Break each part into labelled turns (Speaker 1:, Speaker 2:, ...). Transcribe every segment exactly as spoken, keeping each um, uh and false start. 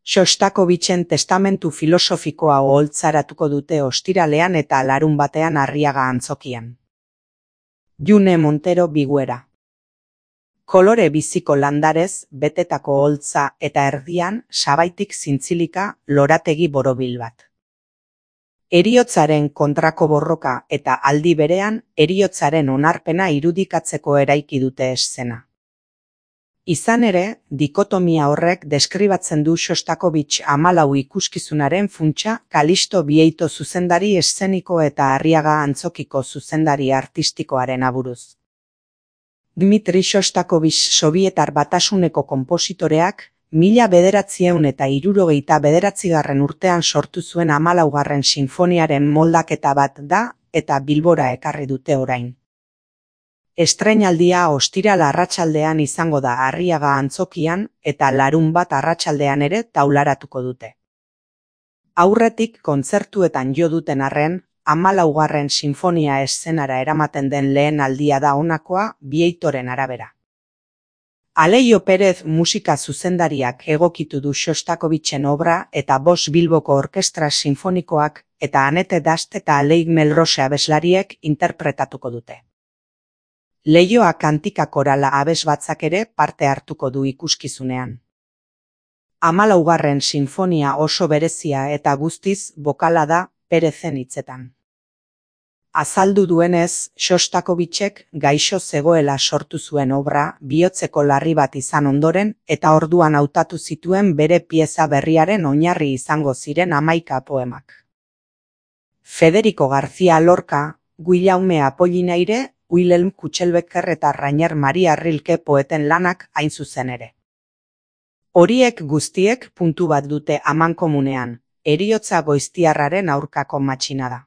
Speaker 1: Shostakovichen testamentu filosofikoa oholtzaratuko dute ostiralean eta larunbatean Arriaga antzokian. June Montero Biguera. Kolore biziko landarez betetako oholtza eta erdian sabaitik zintzilika lorategi borobil bat. Heriotzaren kontrako borroka eta aldi berean heriotzaren onarpena irudikatzeko eraiki dute eszena. Izan ere, dikotomia horrek deskribatzen du Shostakovich hamalau ikuskizunaren funtsa Kalisto Bieito zuzendari eszeniko eta Arriaga antzokiko zuzendari artistikoaren aburuz. Dmitri Shostakovich Sobietar Batasuneko konpositoreak mila bederatziehun eta hirurogeita bederatzigarren urtean sortu zuen hamalaugarren sinfoniaren moldaketa bat da eta Bilbora ekarri dute orain. Estreinaldia ostiral arratsaldean izango da Arriaga antzokian eta larunbat arratsaldean ere taularatuko dute. Aurretik kontzertuetan jo duten arren, hamalaugarren sinfonia eszenara eramaten den lehen aldia da honakoa Bietoren arabera. Aleio Pérez musika zuzendariak egokitu du Shostakovichen obra eta Bost Bilboko Orkestra Sinfonikoak eta Anete Dast eta Aleik Melrose abeslariek interpretatuko dute. Leioa kantika korala abesbatzak ere parte hartuko du ikuskizunean. Hamalaugarren sinfonia oso berezia eta guztiz bokala da Perezen hitzetan. Azaldu duenez, Shostakovichek gaixo zegoela sortu zuen obra bihotzeko larri bat izan ondoren eta orduan hautatu zituen bere pieza berriaren oinarri izango ziren hamaika poemak. Federico García Lorca, Guillaume Apollinaire, Wilhelm Kutxelbecker eta Rainer Maria Rilke poeten lanak hain zuzen ere. Horiek guztiek puntu bat dute amankomunean, heriotza goiztiarraren aurkako matxinada.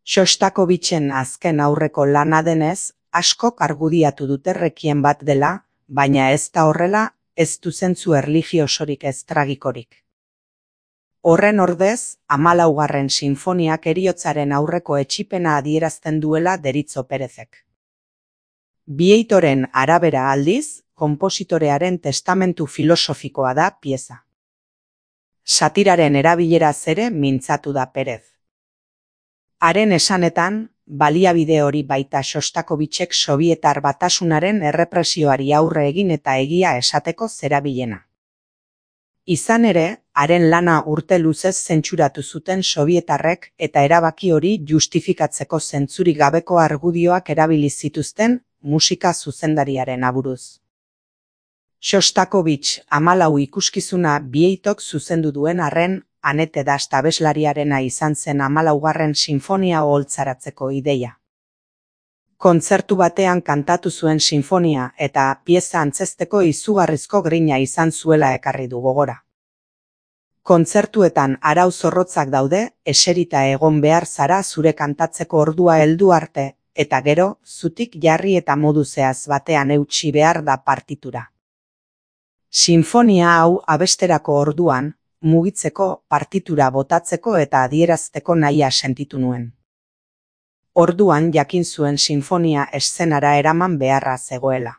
Speaker 1: Shostakovichen azken aurreko lana denez, askok argudiatu dute rekien bat dela, baina ez da horrela, ez du zentzu erlijiosorik ez tragikorik. Horren ordez, hamalaugarren sinfoniak heriotzaren aurreko etxipena adierazten duela deritzo Perezek. Bietoren arabera aldiz, konpositorearen testamentu filosofikoa da pieza. Satiraren erabileraz ere mintzatu da Perez. Haren esanetan, baliabide hori baita Shostakovichek Sobietar Batasunaren errepresioari aurre egin eta egia esateko zerabilena. Izan ere, haren lana urte luzez zentsuratu zuten sobietarrek eta erabaki hori justifikatzeko zentzurik gabeko argudioak erabili zituzten musika zuzendariaren aburuz. Shostakovich hamalau ikuskizuna Bieitok zuzendu duen arren, Anete Dast abeslariarena izan zen hamalaugarren sinfonia oholtzaratzeko ideia. Kontzertu batean kantatu zuen sinfonia eta pieza antzezteko izugarrizko grina izan zuela ekarri du gogora. Kontzertuetan arau zorrotzak daude, eserita egon behar zara zure kantatzeko ordua heldu arte, eta gero, zutik jarri eta modu zehaz batean eutsi behar da partitura. Sinfonia hau abesterako orduan, mugitzeko, partitura botatzeko eta adierazteko nahia sentitu nuen. Orduan jakin zuen sinfonia eszenara eraman beharra zegoela.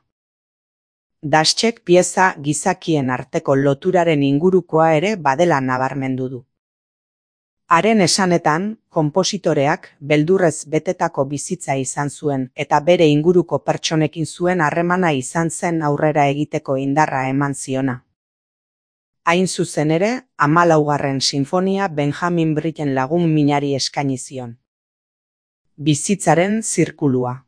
Speaker 1: Dastek pieza gizakien arteko loturaren ingurukoa ere badela nabarmendu du. Haren esanetan, konpositoreak beldurrez betetako bizitza izan zuen eta bere inguruko pertsonekin zuen harremana izan zen aurrera egiteko indarra eman ziona. Hain zuzen ere, hamalaugarren sinfonia Benjamin Britten lagun minari eskaini zion. Bizitzaren zirkulua.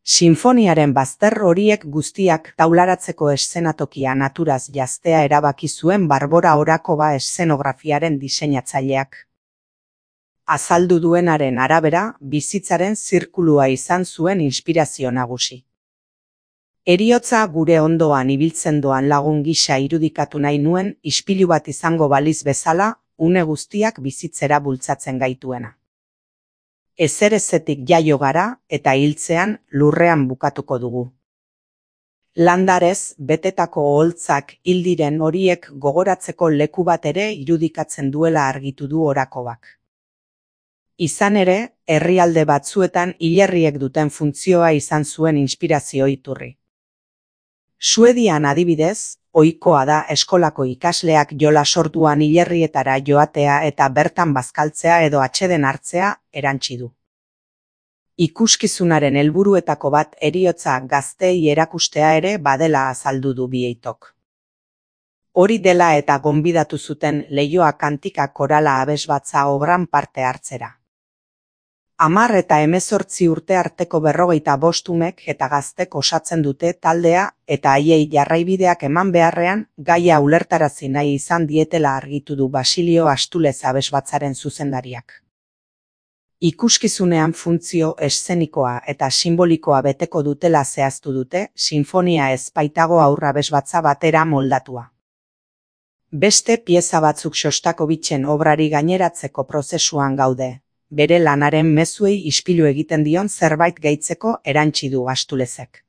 Speaker 1: Sinfoniaren bazter horiek guztiak taularatzeko eszenatokia naturaz jaztea erabaki zuen Barbora Orakova eszenografiaren diseinatzaileak. Azaldu duenaren arabera, bizitzaren zirkulua izan zuen inspirazio nagusi. Heriotza gure ondoan ibiltzen doan lagun gisa irudikatu nahi nuen ispilu bat izango baliz bezala, une guztiak bizitzera bultzatzen gaituena. Ezerezetik jaio gara eta hiltzean lurrean bukatuko dugu. Landarez, betetako oholtzak hil diren horiek gogoratzeko leku bat ere irudikatzen duela argitu du Orakobak. Izan ere, herrialde batzuetan hilerriek duten funtzioa izan zuen inspirazio iturri. Suedian adibidez, ohikoa da eskolako ikasleak jola sortuan hilerrietara joatea eta bertan bazkaltzea edo atseden hartzea erantsi du. Ikuskizunaren helburuetako bat heriotza gazteei erakustea ere badela azaldu du Vieitok. Hori dela eta gonbidatu zuten Leioa Kantika Korala abesbatza obran parte hartzera. Hamar eta hemezortzi urte arteko berrogeita bost umek eta gaztek osatzen dute taldea eta haiei jarraibideak eman beharrean gaia ulertarazi nahi izan dietela argitu du Basilio Astulez abesbatzaren zuzendariak. Ikuskizunean funtzio eszenikoa eta sinbolikoa beteko dutela zehaztu dute, sinfonia ez baitago haur abesbatza batera moldatua. Beste pieza batzuk Xostakovitzen obrari gaineratzeko prozesuan gaude, bere lanaren mezuei ispilu egiten dion zerbait gehitzeko erantsi du Astulezek.